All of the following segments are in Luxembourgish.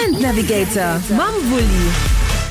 Event Navigator mam Wulli.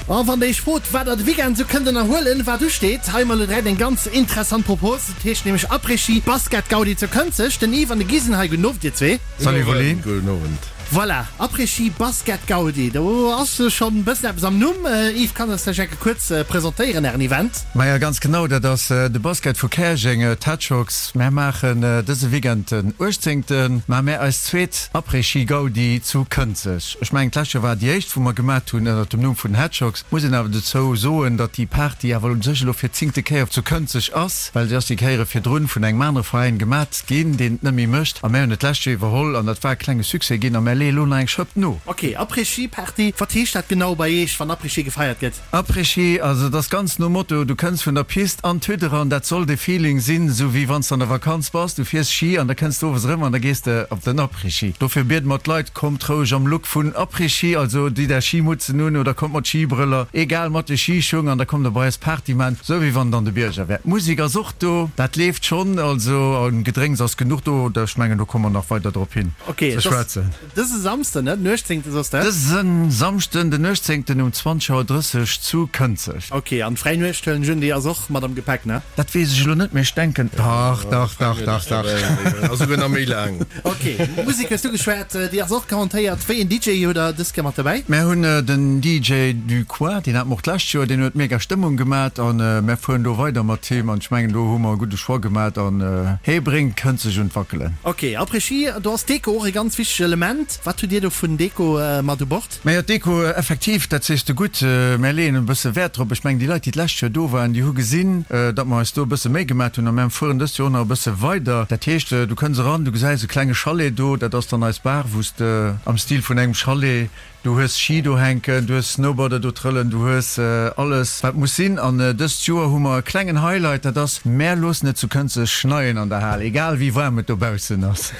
A wann der iech frot, wat der de Weekend esou kënnt ënnerhuelen, wat usteet, hei mol direkt eng ganz interessant Propos. Et heescht nämlech Après-Ski Basket Gaudi zu Kënzeg. Den Yves an de Guy sinn hei. Gudden Owend, dir zwee. Salut Wulli. Gudden Owend. Voilà, Après-Ski Basket Gaudi, do ass schonn e bëssen eppes am Numm. Yves, kanns eis vläicht enke kuerz presentéieren, ären Event? Maja, ganz genau, dat ass de Basket vu Käerjeng, d'Hedgehogs. Mär maachen dëse Weekend, den 18. Maache mär eis zweet Après-Ski Gaudi zu Kënzeg. Ech mengen, d'lescht Joer war et déi éischt, wou mer gemat hunn ënnert dem Numm vun den Hedgehogs. Muss een awer dozou soen, datt déi Party awer u sech elo fir d'zéngte Kéier zu Kënzeg ass, well se ass déi Kéiere virdrun vun engem anere Veräin gemat ginn, deen et net méi mécht, a mär hunn et d'lescht Joer iwwerholl an dat war e klenge Succès ginn a mär leeë lo nach eng Schëpp no. Ok, Après-Ski Party, wat heescht dat genau bei Eech, wann Après-Ski gefeiert gëtt? Après-Ski, also et ass ganz nom Motto, du kënns vun der Pist an d'Hütt eran, dat soll de Feeling sinn, esou wéi wann s de an der Vakanz bass, du fiers Ski an da kënns de owes erëm an da gees de op den Après-Ski. Dofir biede mer d'Leit, kommt roueg am Look vun Après-Ski, also ditt är Schimutzen un oder kommt mat Schibrëller, egal, mat de Schischung an da kommt der bei eis Party man, esou wéi wann et an de Bierger wär. D'Musek ass och Do, dat leeft schonn, also un Gedrénks ass genuch do. Ech mengen, do komme mer nach weider drop hin ze schwätzen. Dëse Samsden, ne, den 18. Soss de? Dëse Samschden, den 18. um 20 Auer 30 zu Kënzeg. Ok, an d'fräi Nuecht huelen ech un, déi ass och mat am Gepäck, ne? Dat weess ech elo net, mee ech denken, dach, dach, dach, dach, dach. Ass esouguer nach méi laang. Ok, Musek hues du geschwat, déi ass och garantéiert. Wéi een DJ hutt der dës Kéier mat dobäi? Mär hunn den DJ du coin, deen hat mer och d'lescht Joer, deen huet mega Stëmmung gemat an mär fueren do weider mat him an ech mengen do hu mer e gudde Choix gemat an hee bréngt Kënzeg un d'Wackelen. Ok, Après-Ski, do ass d'Deko och e ganz wichtegt Element. Wat hutt Dir do vun Deko mat u Bord? Majo, d'Deko, effektiv, dat sees de gutt. Mär leeën e bësse Wäert drop. Ech mengen, déi Leit, déi d'lescht Joer do waren, déi hu gesinn, datt mer eis do e bësse Méi gemat hunn a mär fueren dëst Joer och nach e bësse weider. Dat heescht, du kënns eran, du gesäis e klenge Chalet do, dat ass dann eis Bar, wou s de am Stil vun engem Chalet, du hues Ski do hänken, du hues Snowboarder do trëllen, du hues alles, wat muss sinn. An dëst Joer hu mer e klengen Highlight, dat ass, mär loossen et zu Kënzeg schneien an der Hal, egal wéi waarm et dobaussen ass.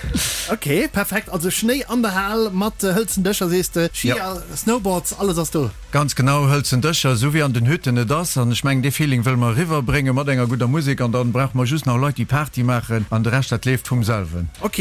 Ok, perfekt, also Schnéi an der Hal mat hëlzen Dëscher sees de, Skier, Snowboards, alles ass do. Ganz genau, hëlzen Dëscher, esou wéi an den Hütten et ass. An ech mengen dee Feeling wëlle mer eriwwer bréngen mat enger gudder Musek an dann brauche mer just nach Leit déi Party maachen an de Rescht dat leeft vum selwen. Ok,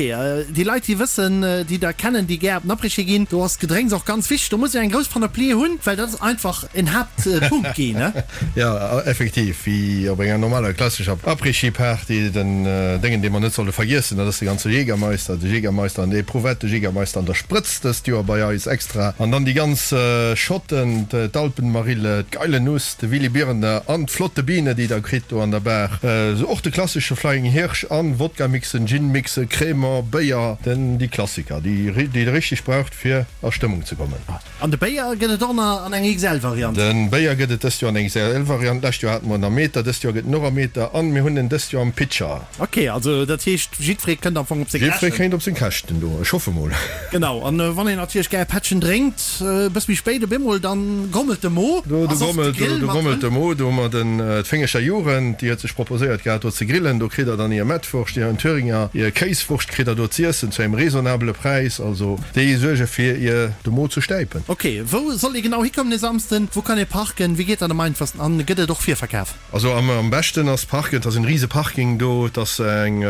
déi Leit déi wëssen, déi der kennen, déi gär op den Après-Ski ginn, do ass Gedrénks och ganz wichteg, do muss een eng grouss Panoplie hunn, well dat ass einfach en Haaptpunkt ginn, ne? Jo, effektiv, wéi op enger normaler klassescher Après-Ski-Party. Den Déngen, dee mer net solle vergiessen, dat ass de ganze Jägermeister, de Jägermeister an der Eprouvette, de Jägermeister an der Sprëtz dëst Joer bei eis extra. An dann déi ganz Schotten, d'Alpenmarille, d'Geile Nuss, de Willy Birner an d'Flotte Biene, déi der kritt do an der Bar. Och de klassesche Flying Hirsch an Wodka-Mixen, Gin-Mixen, Crémant, Béier, den, déi Klassiker, déi déi der richteg braucht, fir a Stëmmung ze kommen. An de Béier gëtt et och nach an enger XL-Variant. De Béier gëtt et dëst Joer an enger XL-Variant. D'lescht Joer hate mer en am Meter, dëst Joer gëtt en och am Meter an mir hunn en dëst Joer am Pitcher. Ok, also dat heescht jiddweree kënnt am Fong op seng Käschten. Jiddweree kéint op seng Käschten do, ech hoffe mol. Genau, an wann een natierlech gär e Pättchen drénkt, e bësse méi spéit op eemol, dann grommelt de Mo. Do grommelt, do grommelt de Mo. Do hu mer den, d'Féngecher Jugend, déi huet sech proposéiert gehat do ze grillen. Do kritt der dann hir Mettwurscht, hir Thüringer, hir Kéiswurscht kritt der do z'iessen zu engem raisonnabele Präis. Also déi suerge fir ier de Mo ze stäipen. Ok, wou soll ee genau hikommen e Samsden? Wou kann ee parken? Wéi geet dat am einfachsten an gëtt et och Virverkaf? Also am beschten ass parken, et ass en riese Parking do, et ass eng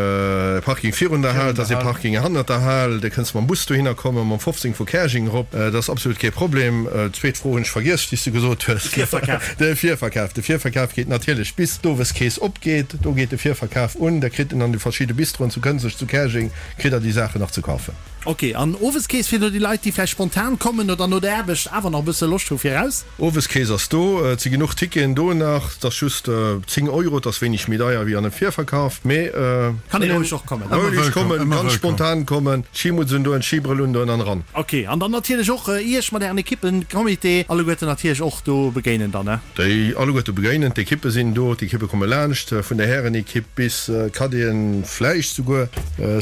Parking virun der Hal, et ass ee Parking hannert der Hal, da kënns de mam Bus dohinner kommen, mam 15 vu Käerjeng erop, dat ass absolut kee Problem. D'zweet Fro hunn ech vergiess, déi s de gesot hues. De Virverkaf. De Virverkaf, de Virverkaf geet natierlech bis d'Oweskeess opgeet, do geet de Virverkaf un, da kritt en an de verschidde Bistroen zu Kënzeg, zu Käerjeng kritt der déi Saachen nach ze kafen. Ok, an Oweskeess fir no déi Leit, déi vläicht spontan kommen oder no der Aarbecht awer nach e bësse Loscht hu fir raus? Oweskeess ass do, et si genuch Ticketen do nach, et ass just 10 Euro, et ass wéineg méi deier wéi an e Virverkaf, mee Kann een roueg och kommen. Roueg kommen, ganz spontan kommen, Skimutz undoen, Skibrëll undoen an eran. Ok, an dann natierlech och Iech mat Ären Ekippen, Comité, alleguerten natierlech och do begéinen dann, ne? Déi alleguerte begéinen. D'Ekippe sinn do, d'Ekippe komme laanscht, vun der Härenekipp bis Cadeten, vläicht souguer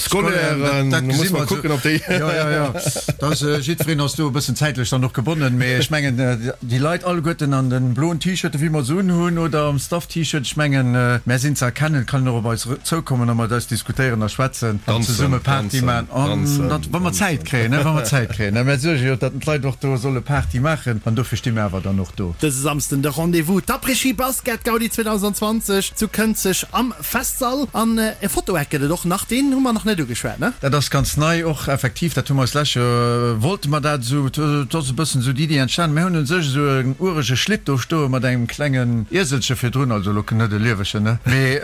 Scolairen. Dat gesi mer kucken, ob déi. Jo, jo, jo, da ass jiddwereen ass do e bëssen zäitlech dann och gebonnen. Mee ech mengen, déi Leit alleguerten an de bloen T-Shirten, wéi mer se unhunn, oder am Staff-T-Shirt, ech mengen, mär sinn ze erkennen, et kann een och op eis zoukommen a mat eis diskutéieren a schwätzen an zesumme Party maachen. An dat, wa mer Zäit kréien, wa mer Zäit kréien. Mär suerge jo, datt d'Leit och do solle Party maachen an dofir sti mir awer dann och do. Dëse Samsden de Rendez-vous, d'Après-Ski Basket Gaudi 2020 zu Kënzeg am Festsall. An e Fotoeck gëtt et och nach, deen hu mer nach net ugeschwat, ne? Dat ass ganz nei och. Effektiv, dat hu mer eis lescht Joer, wollte mer dat esou, et ass e bëssen esou d'Iddi entstanen. Mir hunn u sech esou en urege Schlitt do stoe mat engem klengen Ieselche virdrun, also elo net e liewegen, ne, mee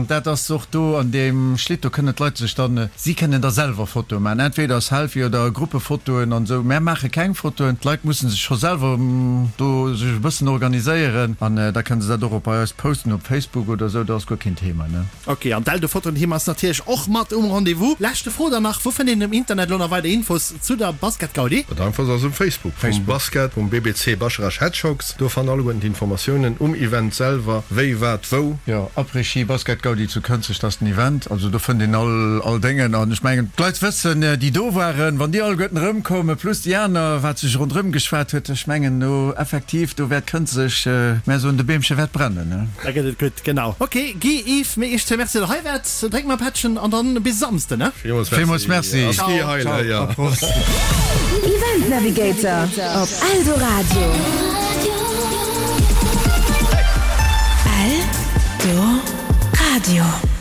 dat ass och do an deem Schlitt, do kënnen d'Leit sech dann, si kënnen da selwer Fotoe maachen, entweder Selfie oder Gruppefotoen an esou. Mär maache keng Fotoen, d'Leit musse sech scho selwer do sech e bëssen organiséieren an da kënne se dat och op bei eis posten op Facebook oder esou, dat ass guer keen Thema, ne. Ok, an d'Eldo-Fotoen-Team ass natierlech och mat um Rendez-vous. Leschte Fro dann nach, Wou fënnt een um Internet elo nach weider Infos zu der Basket-Gaudi? Dat einfachst ass um Facebook vum Basket, vum BBC Bascharage Hedgehogs. Do fannt alleguerten d'Informatiounen um Event selwer, wéi, wat, wou. Jo, Après-Ski Basket-Gaudi zu Kënzeg, dat ass den Event. Also do fënnt een all all Déngen. An ech mengen, d'Leit wëssen, déi do waren, wann déi alleguerten erëmkoumen, plus déi aner, wat sech ronderëm geschwat huet, ech mengen, do effektiv, do wäert Kënzeg, mär soen, de Beemche wäert brennen, ne? Da gëtt et gutt, genau. Ok, Guy, Yves, mir iech zwee Merci, datt der hei waart. Drénkt mer e Pättchen an dann bis e Samsden, ne? Villmools Merci. Ciao, a Prost. Event Navigator op Eldoradio. Eldoradio.